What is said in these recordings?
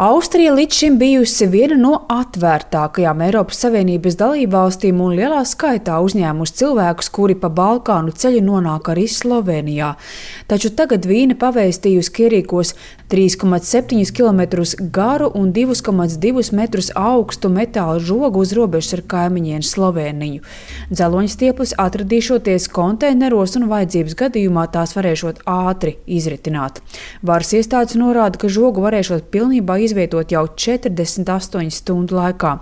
Austrija līdz šim bijusi viena no atvērtākajām Eiropas Savienības dalībvalstīm un lielā skaitā uzņēmusi cilvēkus, kuri pa Balkānu ceļu nonāk arī Slovenijā. Taču tagad Vīne pavēstījusi, ka ierīkos 3,7 km garu un 2,2 metrus augstu metāla žogu uz robežas ar kaimiņienu Sloveniju. Dzeloņstieples atradīšoties konteineros un vajadzības gadījumā tās varēšot ātri izritināt. Varas iestādes norāda, ka žogu varēšot pilnībā izvietot jau 48 stundu laikā.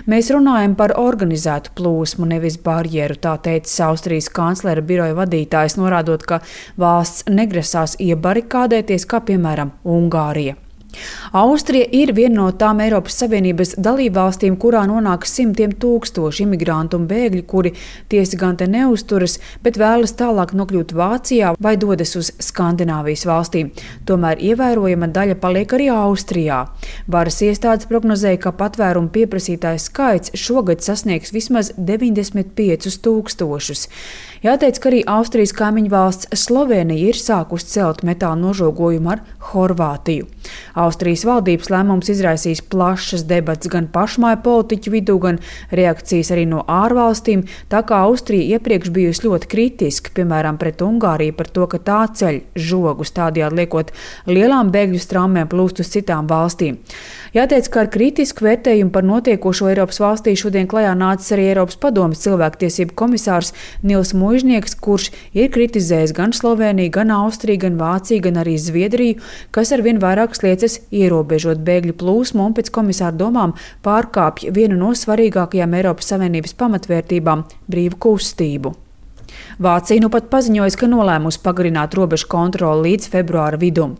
Mēs runājam par organizētu plūsmu, nevis barjeru, tā teica Austrijas kanclera biroja vadītājs, norādot, ka valsts negrasās iebarikādēties, kā piemēram Ungārija. Austrija ir viena no tām Eiropas Savienības dalībvalstīm, kurā nonāk simtiem tūkstoši imigrantu un bēgļu, kuri tiesi gan te neusturas, bet vēlas tālāk nokļūt Vācijā vai dodas uz Skandināvijas valstīm. Tomēr ievērojama daļa paliek arī Austrijā. Varas iestādes prognozēja, ka patvērumu pieprasītāju skaits šogad sasniegs vismaz 95 000. Jāteic, ka arī Austrijas kaimiņu valsts Slovenija ir sākusi celt metāla nožogojumu ar Horvātiju. Austrijas valdības lēmums izraisīs plašas debates gan pašmāju politiķu vidū, gan reakcijas arī no ārvalstīm, tā kā Austrija iepriekš bijusi ļoti kritiska, piemēram, pret Ungāriju par to, ka tā ceļ žogus, tādējādi liekot lielām bēgļu straumēm plūst uz citām valstīm. Jāteic, ka ar kritisku vērtējumu par notiekošo Eiropas valstī šodien klajā nācis arī Eiropas padomes cilvēktiesību komisārs Nils Muižnieks, kurš ir kritizējis gan Sloveniju, gan Austriju, gan Vāciju, gan arī Zviedriju, kas arvien vairāk sliecas ierobežot bēgļu plūsmu un pēc komisāra domām pārkāpj vienu no svarīgākajām Eiropas Savienības pamatvērtībām – brīvu kustību. Vācija nu pat paziņojas, ka nolēmusi pagarināt robežu kontroli līdz februāra vidum.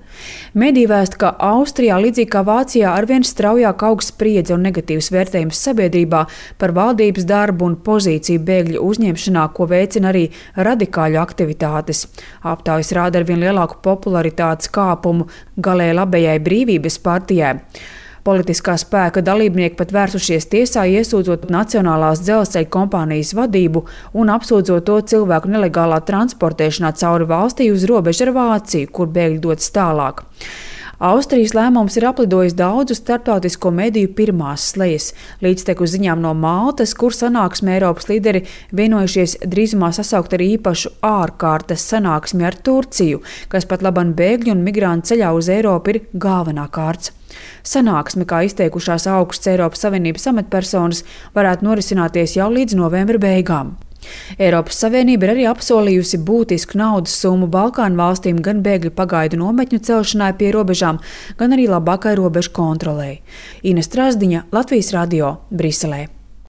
Mediji vēsta, ka Austrijā, līdzīgi kā Vācijā, arvien straujāk aug spriedze un negatīvs vērtējums sabiedrībā par valdības darbu un pozīciju bēgļu uzņemšanā, ko veicina arī radikāļu aktivitātes. Aptaujas rāda arvien lielāku popularitātes kāpumu galēji labējai Brīvības partijai. Politiskā spēka dalībnieki pat vērsušies tiesā, iesūdzot Nacionālās dzelzceļa kompānijas vadību un apsūdzot to cilvēku nelegālā transportēšanā cauri valstī uz robežu ar Vāciju, kur bēgļi dodas tālāk. Austrijas lēmums ir aplidojis daudzu starptautisko mediju pirmās slejas, līdztekus ziņām no Maltas, kur sanāksmē Eiropas līderi vienojušies drīzumā sasaukt arī īpašu ārkārtas sanāksmi ar Turciju, kas pat laban bēgļu un migrantu ceļā uz Eiropu ir galvenā kārts. Sanāksme, kā izteikušās augstas Eiropas Savienības amatpersonas, varētu norisināties jau līdz novembra beigām. Eiropas Savienība ir arī apsolījusi būtisku naudas summu Balkānu valstīm gan bēgļu pagaidu nometņu celšanai pie robežām, gan arī labākai robežu kontrolei. Ines Trasdiņa, Latvijas radio, Briselē.